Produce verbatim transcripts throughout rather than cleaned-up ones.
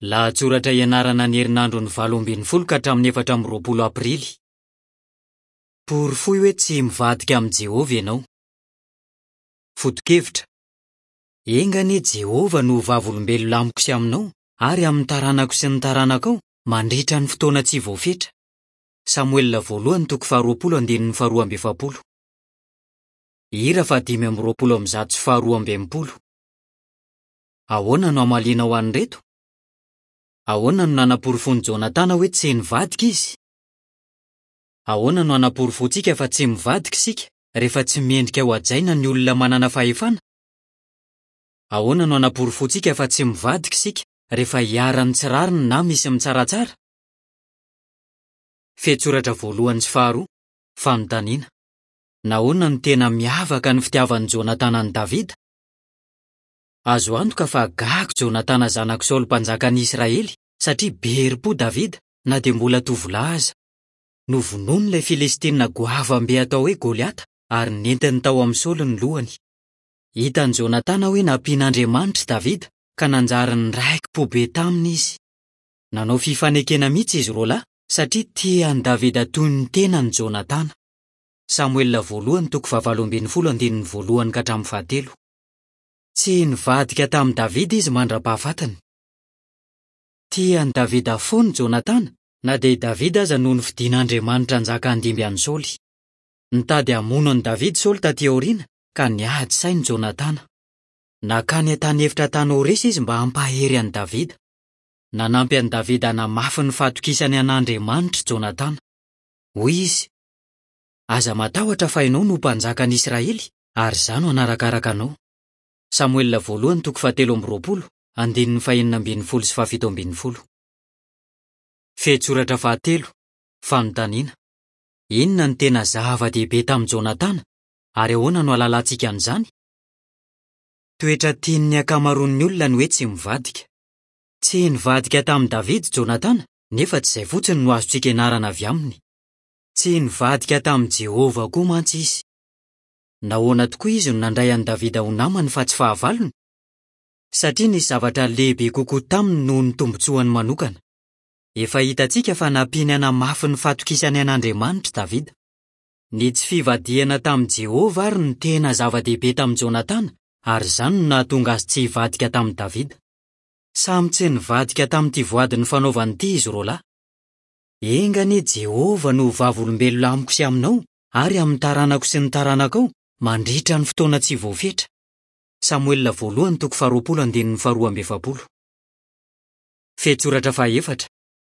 Lahatsoratra ianarana ny herinandron'ny valo ambin'ny folo ka hatramin'ny efatra amby roapolo Aprily. Porofoy hoe tsy mivadika amin'i Jehovah ianao. Foto-kevitra: Enga anie Jehovah no ho vavolombelona amiko sy aminao ary amin'ny taranako sy ny taranakao mandritra ny fotoana tsy voafetra. Samoela voalohany toko faharoapolo andininy faharoa amby efapolo. Hira fahadimy amby roapolo amby zato sy faharoa amby enimpolo. Ahoana no hamalianao an'ireto? Ahoana no nanaporofoan'i Jonatana hoe tsy nivadika izy? Ahoana no hanaporofoantsika fa tsy mivadika isika rehefa tsy mendrika hohajaina ny olona manana fahefana? Ahoana no hanaporofoantsika fa tsy mivadika isika rehefa iharan'ny tsy rariny na misy mitsaratsara? Fehintsoratra voalohany sy faharoa, fanontaniana. Nahoana no tena miavaka ny fitiavan'i Jonatana an'i Davida? Azo antoka fa gaga Jonatana zanak'i Saoly mpanjakan'ny Israely satria be herim-po Davida na dia mbola tovolahy aza. Novonoiny ilay Filistinina goavam-be atao hoe Goliata ary nentiny tao amin'i Saoly ny lohany. Hitan'i Jonatana hoe nampian'Andriamanitra i Davida ka nanjary niraiki-po be taminy izy. Nanao fifanekena mihitsy izy roa lahy satria tia an'i Davida toy ny tenany Jonatana. Samoela voalohany toko fahavalo ambin'ny folo andininy voalohany ka hatramin'ny fahatelo. Tsy nivadika tamin'i Davida izy mandra-pahafatiny. Tia an'i Davida foana Jonatana na dia i Davida aza no nofidin'Andriamanitra hanjaka handimby an'i Saoly. Nitady hamono an'i Davida Saoly taty aoriana ka niady saina Jonatana. Nankany an-tany efitra tany Horesa izy mba hampahery an'i Davida. Nanampy an'i Davida hanamafy ny fahatokisany an'Andriamanitra Jonatana. Hoy izy: Aza matahotra fa ianao no mpanjakan'ny Israely ary izaho no hanarakaraka anao. Samoela voalohany toko fahatelo amby roapolo, andininy fahenina ambin'ny folo sy fahafito ambin'ny folo. Fehintsoratra fahatelo, fanontaniana. Inona no tena zava-dehibe tamin'i Jonatana ary ahoana no ahalalantsika an'izany? Toetra tian'ny ankamaroan'ny olona ny hoe tsy mivadika. Tsy nivadika tamin'i Davida Jonatana nefa tsy izay fotsiny no azontsika ianarana avy aminy. Tsy nivadika tamin'i Jehovah koa mantsy izy. Nahoana tokoa izy no nandray an'i Davida ho namany fa tsy fahavalony? Satria nisy zavatra lehibe kokoa taminy noho ny tombontsoany manokana. Efa hitantsika fa nampiany hanamafy ny fahatokisany an'Andriamanitra Davida. Ny tsy fivadihana tamin'i Jehovah ary no tena zava-dehibe tamin'i Jonatana ary izany no nahatonga azy tsy hivadika tamin'i Davida. Samy tsy nivadika tamin'ity voady nifanaovany ity izy roa lahy. Enga anie Jehovah no ho vavolombelona amiko sy aminao ary amin'ny taranako sy ny taranakao mandritra ny fotoana tsy voafetra. Samoela voalohany toko faharoapolo andininy faharoa amby efapolo. Fehintsoratra fahaefatra,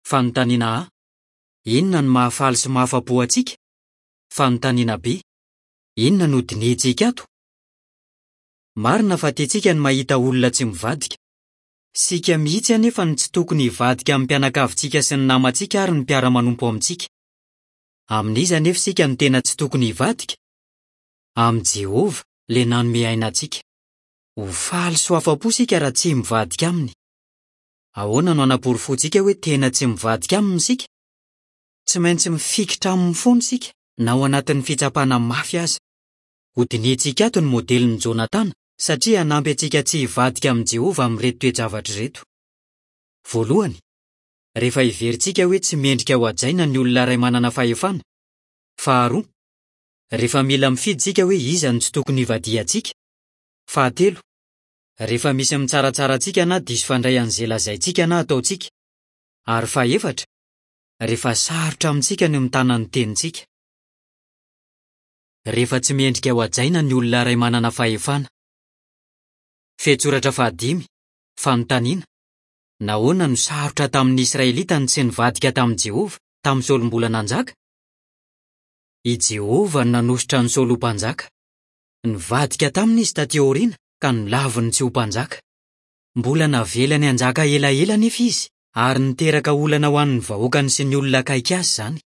fanontaniana A. Inona no mahafaly sy mahafa-po antsika? Fanontaniana B. Inona no dinihintsika ato? Marina fa tiantsika ny mahita olona tsy mivadika. Isika mihitsy anefa no tsy tokony hivadika amin'ny mpianakavintsika sy ny namantsika ary ny mpiara-manompo amintsika. Amin'iza anefa isika no tena tsy tokony hivadika? Amin'i Jehovah, ilay nanome aina antsika. Ho faly sy ho afa-po isika raha tsy mivadika aminy. Ahoana no hanaporofoantsika hoe tena tsy mivadika aminy isika? Tsy maintsy mifikitra aminy foana isika na ao anatin'ny fitsapana mafy aza. Hodinihintsika ato ny modelin'i Jonatana satria hanampy antsika tsy hivadika amin'i Jehovah amin'ireto toe-javatra ireto. Voalohany, rehefa heverintsika hoe tsy mendrika hohajaina ny olona iray manana fahefana. Faharoa, rehefa mila mifidy isika hoe iza no tsy tokony hivadihantsika. Fahatelo, rehefa misy mitsaratsara antsika na diso fandray an'izay lazaintsika na ataontsika. Ary fahefatra, rehefa sarotra amintsika ny mitana ny tenintsika. Rehefa tsy mendrika hohajaina ny olona iray manana fahefana. Fehintsoratra fahadimy, fanontaniana. Nahoana no sarotra tamin'ny Israelita ny tsy nivadika tamin'i Jehovah tamin'i Saoly mbola nanjaka? I Jehovah no nanosotra an'i Saoly ho mpanjaka. Nivadika taminy izy taty aoriana ka nolaviny tsy ho mpanjaka. Mbola navelany hanjaka elaela anefa izy ary niteraka olana ho an'ny vahoakany sy ny olona akaiky azy izany.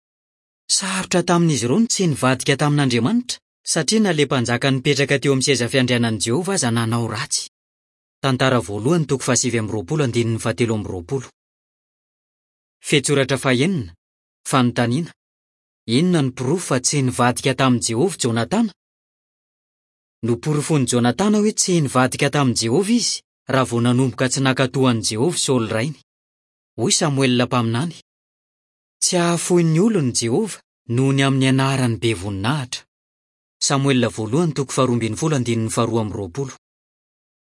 Sarotra tamin'izy ireo ny tsy nivadika tamin'Andriamanitra satria na ilay mpanjaka nipetraka teo amin'ny seza fiandrianan'i Jehovah aza nanao ratsy. Tantara voalohany toko fahasivy amby roapolo andininy fahatelo amby roapolo. Fehintsoratra fahenina, fanontaniana. Inona no porofo fa tsy nivadika tamin'i Jehovah Jonatana? Noporofoin'i Jonatana hoe tsy nivadika tamin'i Jehovah izy raha vao nanomboka tsy nankatò an'i Jehovah Saoly rainy. Hoy Samoela mpaminany: Tsy hahafoy ny olony Jehovah noho ny amin'ny anarany be voninahitra. Samoela voalohany toko faharoa ambin'ny folo andininy faharoa amby roapolo.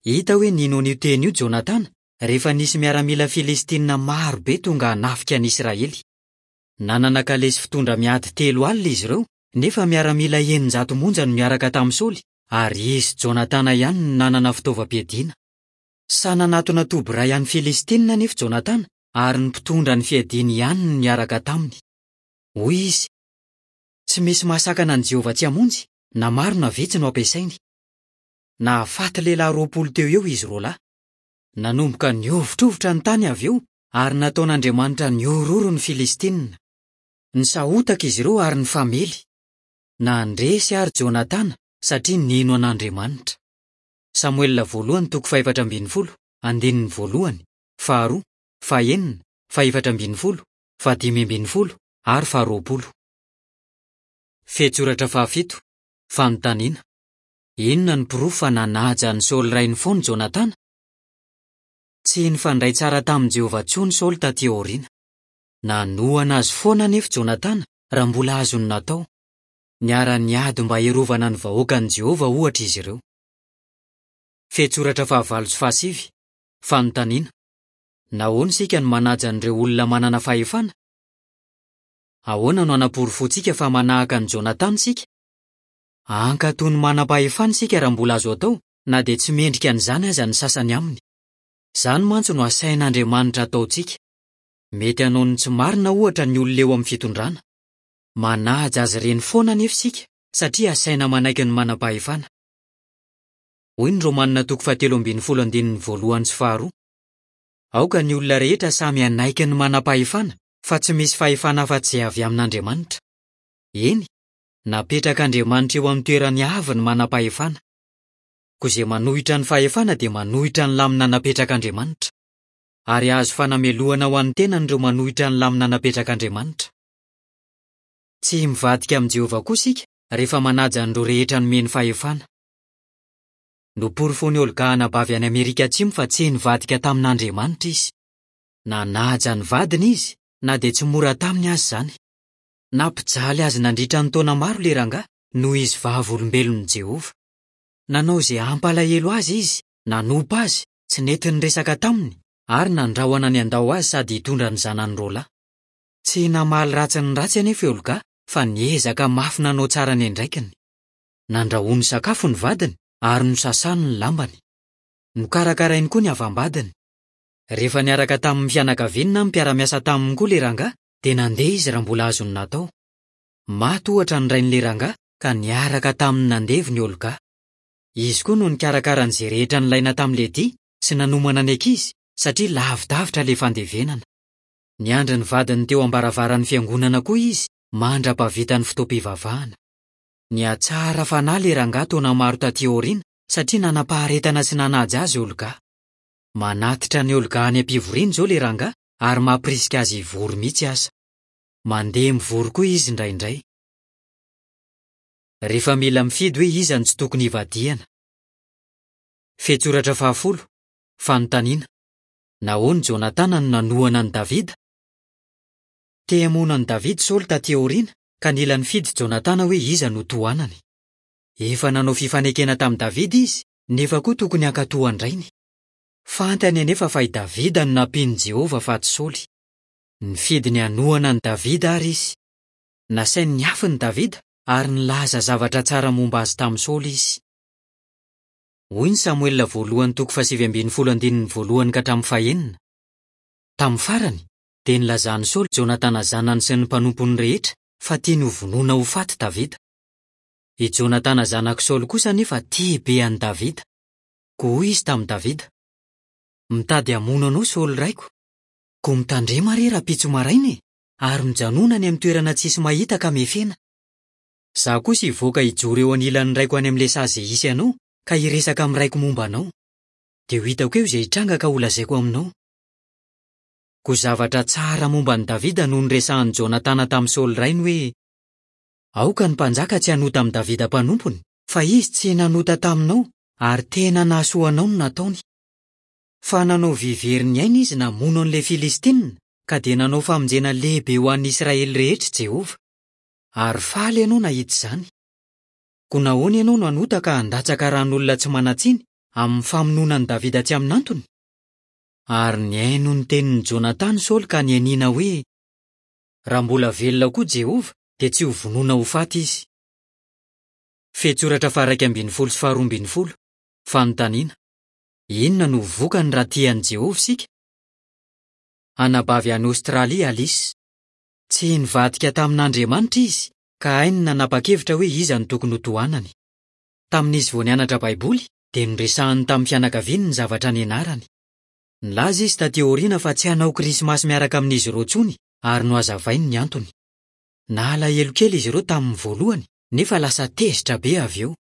Hita hoe nino an'io teny io Jonatana rehefa nisy miaramila filistinina maro be tonga hanafika ny Israely. Nanana kalesy fitondra miady telo alina izy ireo, nefa miaramila eninjato monja no miaraka tamin'i Saoly, ary izy Jonatana ihany no nanana fitaovam-piadiana. Sahy nanatona toby iray an'ny Filistinina anefa Jonatana, ary ny mpitondra ny fiadiany ihany no niaraka taminy. Hoy izy: Tsy misy mahasakana an'i Jehovah tsy hamonjy, na maro na vitsy no ampiasainy. Nahafaty lehilahy roapolo teo eo izy roa lahy. Nanomboka nihovitrovitra ny tany avy eo, ary nataon'Andriamanitra nihorohoro ny Filistinina. Nisahotaka izy ireo ary nifamely. Nandresy àry Jonatana satria nino an'Andriamanitra. Samoela voalohany toko fahefatra ambin'ny folo, andininy voalohany, faharoa, fahenina, fahefatra ambin'ny folo, fahadimy ambin'ny folo ary faharoapolo. Fehintsoratra fahafito, fanontaniana. Inona no porofo fa nanaja an'i Saoly rainy foana Jonatana? Tsy nifandray tsara tamin'i Jehovah intsony Saoly tatỳ aoriana. Nanohana azy foana anefa Jonatana raha mbola azony natao. Niara-niady mba hiarovana ny vahoakan'i Jehovah ohatra izy ireo. Fehintsoratra fahavalo sy fahasivy, fanontaniana. Nahoana isika no manaja an'ireo olona manana fahefana? Ahoana no hanaporofoantsika fa manahaka an'i Jonatana isika? Hankatò ny manam-pahefana isika raha mbola azo atao, na dia tsy mendrika an'izany aza ny sasany aminy. Izany mantsy no asain'Andriamanitra ataontsika. Mety hanao ny tsy marina ohatra ny olona eo amin'ny fitondrana. Manaja azy ireny foana anefa isika, satria asaina manaiky ny manam-pahefana. Hoy ny Romanina toko fahatelo ambin'ny folo andininy voalohany sy faharoa: Aoka ny olona rehetra samy hanaiky ny manam-pahefana, fa tsy misy fahefana afa-tsy izay avy amin'Andriamanitra. Eny, napetrak'Andriamanitra eo amin'ny toerany avy ny manam-pahefana. Koa izay manohitra ny fahefana dia manohitra ny lamina napetrak'Andriamanitra. Ary hahazo fanamelohana ho an'ny tenany ireo manohitra ny lamina napetrak'Andriamanitra. Tsy mivadika amin'i Jehovah koa isika rehefa manaja an'ireo rehetra nomeny fahefana. Noporofoin'i Olga anabavy any Amerika Atsimo fa tsy nivadika tamin'Andriamanitra izy. Nanaja ny vadiny izy, na dia tsy mora taminy aza izany. Nampijaly azy nandritra ny taona maro ilay rangahy noho izy Vavolombelon'i Jehovah. Nanao izay hampalahelo azy izy, nanompa azy, tsy nety niresaka taminy, ary nandrahona ny handao azy sady hitondra ny zanany roa lahy. Tsy namaly ratsy ny ratsy anefa i Olga fa niezaka mafy nanao tsara ny andraikiny. Nandrahoany sakafo ny vadiny ary nosasany ny lambany. Nokarakarainy koa ny havam-badiny. Rehefa niaraka tamin'ny fianakaviany na ny mpiara-miasa taminy koa ilay rangahy, dia nandeha izy raha mbola azony natao. Maty ohatra ny rain'ilay rangahy ka niaraka taminy nandevina i Olga. Izy koa no nikarakara an'izay rehetra nilaina tamin'ilay dia sy nanomana ny ankizy satria lavidavitra ilay fandevenana. Niandry ny vadiny teo am-baravaran'ny fiangonana koa izy mandra-pahavita ny fotoam-pivavahana. Nihatsara fanahy ilay rangahy taona maro tatỳ aoriana satria nanam-paharetana sy nanaja azy Olga. Manatitra an'i Olga any am-pivoriana izao ilay rangahy ary mampirisika azy hivory mihitsy aza. Mandeha mivory koa izy indraindray. Rehefa mila mifidy hoe iza no tsy tokony hivadihana. Fehintsoratra fahafolo, fanontaniana. Nahoana Jonatana no nanohana an'i Davida? Te hamono an'i Davida Saoly tatỳ aoriana, ka nila nifidy Jonatana hoe iza no tohanany. Efa nanao fifanekena tamin'i Davida izy, nefa koa tokony hankatò an-drainy. Fantany anefa fa i Davida no nampian'i Jehovah fa tsy Saoly. Nifidy ny hanohana an'i Davida àry izy. Nasainy niafina i Davida ary nilaza zavatra tsara momba azy tamin'i Saoly izy. Hoy ny Samoela voalohany toko fahasivy ambin'ny folo andininy voalohany ka hatramin'ny fahenina. Tamin'ny farany, dia nilazan'i Saoly Jonatana zanany sy ny mpanompony rehetra fa tiany hovonoina ho faty Davida. I Jonatana zanak'i Saoly kosa anefa tia be an'i Davida. Koa hoy izy tamin'i Davida: Mitady hamono anao Saoly raiko. Koa mitandrema re rahampitso maraina e, ary mijanona any amin'ny toerana tsisy mahita ka mefena. Izaho kosa hivoaka hijoro eo anilan'ny raiko any amin'ilay saha izay hisy anao ka hiresaka amin'ny raiko momba anao. Dia ho hitako eo izay hitranga ka holazaiko aminao. Koa zavatra tsara momba an'i Davida no niresahan'i Jonatana tamin'i Saoly rainy hoe: Aoka ny mpanjaka tsy hanota amin'i Davida mpanompony, fa izy tsy nanota taminao ary tena nahasoa anao no nataony. Fa nanao vivery ny ainy izy namono an'ilay Filistinina, ka dia nanao famonjena lehibe ho an'ny Israely rehetra Jehovah. Ary faly ianao nahita izany. Koa nahoana ianao no hanota ka handatsaka ran'olona tsy manan-tsiny amin'ny famonoana an'i Davida tsy amin'antony? Ary nihaino ny tenin'i Jonatana Saoly ka nianiana hoe: Raha mbola velona koa Jehovah, dia tsy ho vonoina ho faty izy. Fehintsoratra faha-iraika ambin'ny folo sy faharoa ambin'ny folo. Fanontaniana: Inona no vokany raha tia an'i Jehovah isika? Anabavy any Aostralia Alice. Tsy nivadika tamin'Andriamanitra izy, ka hainy ny nanapa-kevitra hoe iza no tokony hotohanany. Tamin'izy vao nianatra Baiboly, dia noresahiny tamin'ny fianakaviany ny zavatra nianarany. Nilaza izy tatỳ aoriana fa tsy hanao Krismasy miaraka amin'izy ireo intsony, ary nohazavainy ny antony. Nalahelo kely izy ireo tamin'ny voalohany, nefa lasa tezitra be avy eo.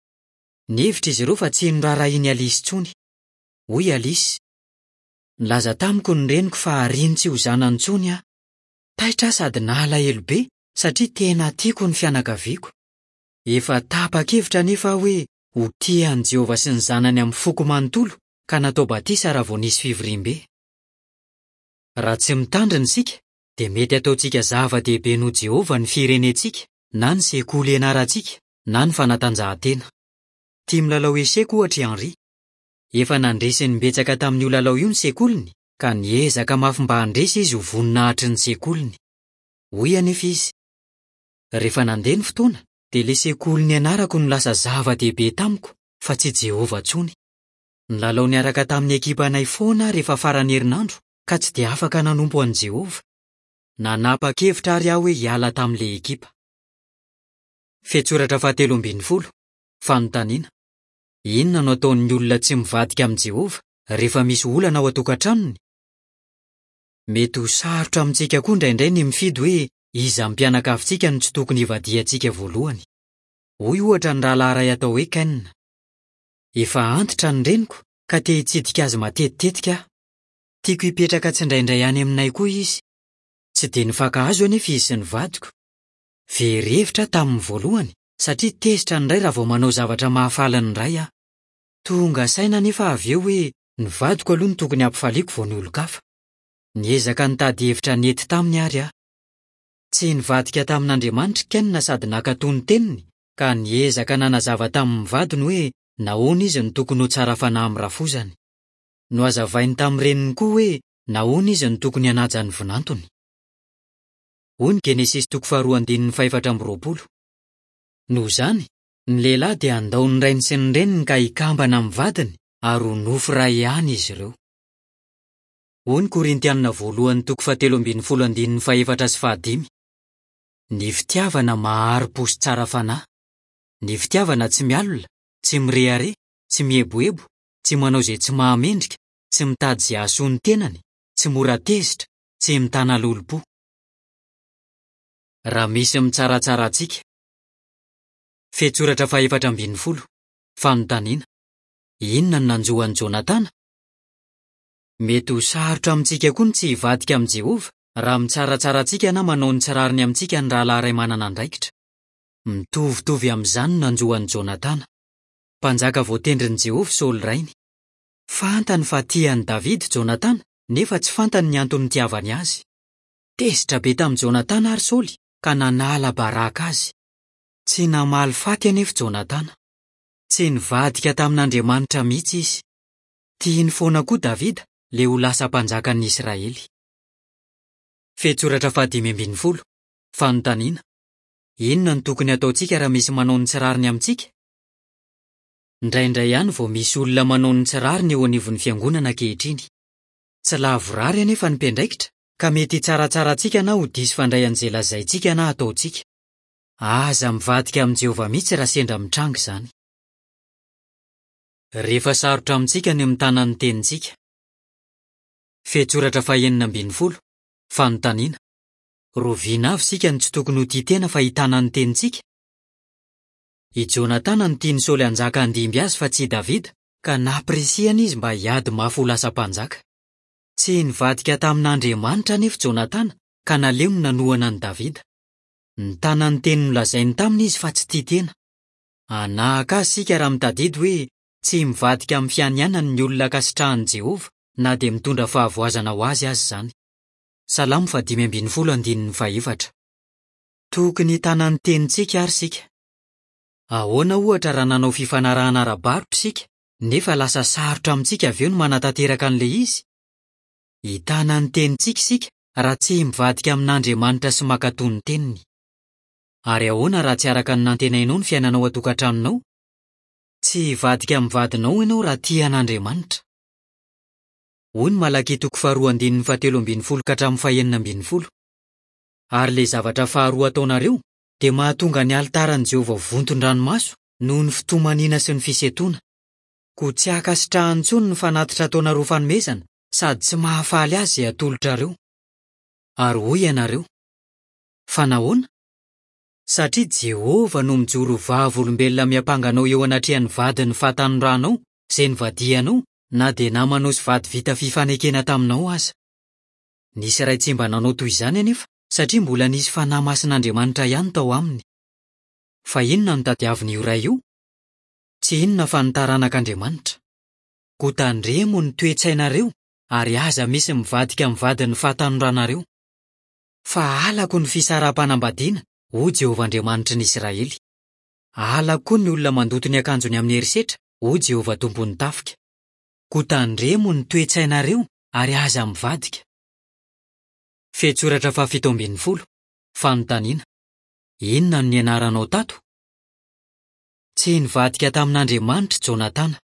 Nihevitra izy ireo fa tsy noraharahian'i Alice intsony. Hoy Alice: Nilaza tamiko ny reniko fa hariany tsy ho zanany intsony aho. Taitra aho sady nalahelo be satria tena tiako ny fianakaviako. Efa tapa-kevitra anefa aho hoe ho tia an'i Jehovah sy ny zanany amin'ny foko manontolo, ka natao batisa raha vao nisy fivoriambe. Raha tsy mitandrina isika, dia mety hataontsika zava-dehibe noho Jehovah ny firenentsika, na ny sekoly ianarantsika, na ny fanatanjahantena. Tia milalao eseka ohatra i Henri. Efa nandresy imbetsaka tamin'io lalao io ny sekoliny, ka niezaka mafy mba handresy izy ho voninahitry ny sekoliny. Hoy anefa izy: Rehefa nandeha ny fotoana, dia ilay sekoly nianarako no lasa zava-dehibe tamiko, fa tsy Jehovah intsony. Nilalao niaraka tamin'ny ekipanay foana aho rehefa faran'ny herinandro, ka tsy dia afaka nanompo an'i Jehovah. Nanapa-kevitra àry aho hoe hiala tamin'ilay ekipa. Fehintsoratra fahatelo ambin'ny folo. Fanontaniana: Inona no ataon'ny olona tsy mivadika amin'i Jehovah rehefa misy olana ao an-tokantranony? Mety ho sarotra amintsika koa indraindray ny mifidy hoe iza amin'ny mpianakavintsika no tsy tokony hivadihantsika voalohany. Hoy ohatra ny rahalahy iray atao hoe Ken: Efa antitra ny reniko ka te hitsidika azy matetitetika aho. Tiako hipetraka tsindraindray any aminay koa izy. Tsy dia nifankahazo anefa izy sy ny vadiko. Very hevitra aho tamin'ny voalohany satria tezitra ny ray raha vao manao zavatra mahafaly ny ray aho. Tonga saina anefa avy eo hoe ny vadiko aloha no tokony hampifaliako vao ny olon-kafa. Niezaka nitady hevitra nety taminy àry aho. Tsy nivadika tamin'Andriamanitra i Ken sady nankatò ny teniny, ka niezaka nanazava tamin'ny vadiny hoe nahoana izy no tokony ho tsara fanahy amin'ny rafozany. Nohazavainy tamin'ny reniny koa hoe nahoana izy no tokony hanaja ny vinantony. Hoy ny Genesisy toko faharoa andininy fahefatra amby roapolo. Noho izany, ny lehilahy dia handao ny rainy sy ny reniny ka hikambana amin'ny vadiny ary ho nofo iray ihany izy ireo. Hoy ny Korintianina voalohany toko fahatelo ambin'ny folo andininy fahefatra sy fahadimy. Ny fitiavana mahari-po sy tsara fanahy. Ny fitiavana tsy mialona, tsy mirehareha, tsy mieboebo, tsy manao izay tsy mahamendrika, tsy mitady izay hahasoa ny tenany, tsy mora tezitra, tsy mitana lolompo. Raha misy mitsaratsara antsika. Fehintsoratra fahefatra ambin'ny folo. Fanontaniana: Inona no nanjo an'i Jonatana? Mety ho sarotra amintsika koa ny tsy hivadika amin'i Jehovah raha mitsaratsara antsika na manao ny tsy rariny amintsika ny rahalahy iray manana andraikitra. Mitovitovy amin'izany no nanjo an'i Jonatana. Mpanjaka voatendrin'i Jehovah Saoly rainy. Fantany fa tia an'i Davida Jonatana, nefa tsy fantany ny antony nitiavany azy. Tezitra be tamin'i Jonatana àry Saoly ka nanala baraka azy. Tsy namaly faty anefa Jonatana. Tsy nivadika tamin'Andriamanitra mihitsy izy. Tiany foana koa Davida, ilay ho lasa mpanjakan'ny Israely. Fehintsoratra fahadimy ambin'ny folo. Fanontaniana: Inona no tokony hataontsika raha misy manao ny tsy rariny amintsika? Indraindray ihany vao misy olona manao ny tsy rariny eo anivon'ny fiangonana ankehitriny. Tsy lavorary anefa ny mpiandraikitra, ka mety hitsaratsara antsika na ho diso fandray an'izay lazaintsika na ataontsika. Aza mivadika amin'i Jehovah mihitsy raha sendra mitranga izany. Rehefa sarotra amintsika ny mitana ny tenintsika. Fehintsoratra fahenina ambin'ny folo. Fanontaniana: Roviana avy isika no tsy tokony ho tia tena fa hitana ny tenintsika? I Jonatana no tian'i Saoly hanjaka handimby azy fa tsy i Davida, ka nampirisihana izy mba hiady mafy ho lasa mpanjaka. Tsy nivadika tamin'Andriamanitra anefa Jonatana, ka naleony nanohana an'i Davida. Nitana ny teny nolazainy taminy izy fa tsy tia tena. Hanahaka azy isika raha mitadidy hoe tsy mivadika amin'ny fianianany ny olona ankasitrahan'i Jehovah na dia mitondra fahavoazana ho azy aza izany. Salamo fahadimy ambin'ny folo andininy fahefatra. Tokony hitana ny tenintsika ary isika. Ahoana ohatra raha nanao fifanarahana ara-barotra isika, nefa lasa sarotra amintsika avy eo ny manatanteraka an'ilay izy? Hitana ny tenintsika isika raha tsy mivadika amin'Andriamanitra sy mankatò ny teniny. Ary ahoana raha tsy araka ny nantenainao ny fiainanao an-tokantranonao? Tsy hivadika amin'ny vadinao ianao raha tia an'Andriamanitra. Hoy ny Malakia toko faharoa andininy fahatelo ambin'ny folo ka hatramin'ny fahenina ambin'ny folo. Ary ilay zavatra faharoa ataonareo dia mahatonga ny alitaran'i Jehovah vonton-dranomaso noho ny fitomaniana sy ny fisentoana. Koa tsy ankasitrahany intsony ny fanatitra ataonareo fanomezana sady tsy mahafaly azy izay atolotrareo. Ary hoy ianareo: Fa nahoana? Satria Jehovah no mijoro ho vavolombelona miampanga anao eo anatrehan'ny vadin'ny fahatanoranao izay nivadihanao na dia namanao sy vady vita fifanekena taminao aza. Nisy iray tsy mba nanao toy izany anefa satria mbola nisy fanahy masin'Andriamanitra ihany tao aminy. Fa inona no tadiavin'io ray io? Tsy inona fa ny taranak'Andriamanitra. Koa tandremo ny toe-tsainareo ary aza misy mivadika amin'ny vadin'ny fahatanoranareo. Fa halako ny fisaraham-panambadiana, hoy Jehovah Andriamanitry ny Israely. Halako koa ny olona mandoto ny akanjony amin'ny herisetra, hoy Jehovah Tompon'ny tafika. Koa tandremo ny toe-tsainareo ary aza mivadika. Fehintsoratra fahafito ambin'ny folo. Fanontaniana. Inona no nianaranao tato? Tsy nivadika tamin'Andriamanitra Jonatana.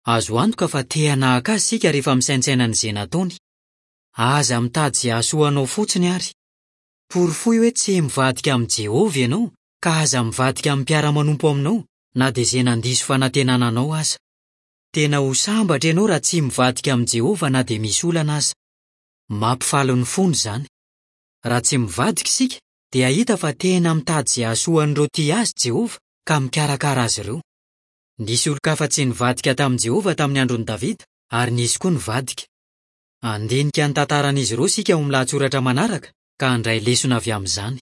Azo antoka fa te hanahaka azy isika rehefa misaintsaina an'izay nataony. Aza mitady izay hahasoa anao fotsiny ary. Porofoy hoe tsy mivadika amin'i Jehovah ianao ka aza mivadika amin'ny mpiara-manompo aminao na dia izay nandiso fanantenana anao aza. Tena ho sambatra ianao raha tsy mivadika amin'i Jehovah na dia misy olana aza. Mampifaly ny fony izany. Raha tsy mivadika isika dia hahita fa tena mitady izay hahasoa an'ireo tia azy Jehovah ka mikarakara azy ireo. Nisy olon-kafa tsy nivadika tamin'i Jehovah tamin'ny andron'i Davida ary nisy koa nivadika. Handinika ny tantaran'izy ireo isika ao amin'ny lahatsoratra manaraka ka handray lesona avy amin'izany.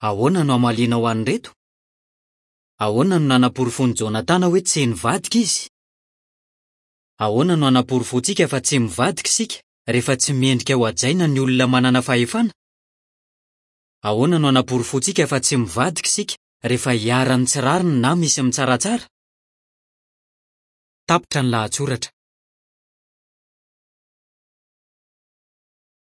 Ahoana no hamalianao an'ireto? Ahoana no nanaporofoan'i Jonatana hoe tsy nivadika izy? Ahoana no hanaporofoantsika fa tsy mivadika isika rehefa tsy mendrika ho hajaina ny olona manana fahefana? Ahoana no hanaporofoantsika fa tsy mivadika isika rehefa iharan'ny tsy rariny na misy mitsaratsara? Tapitra ny lahatsoratra.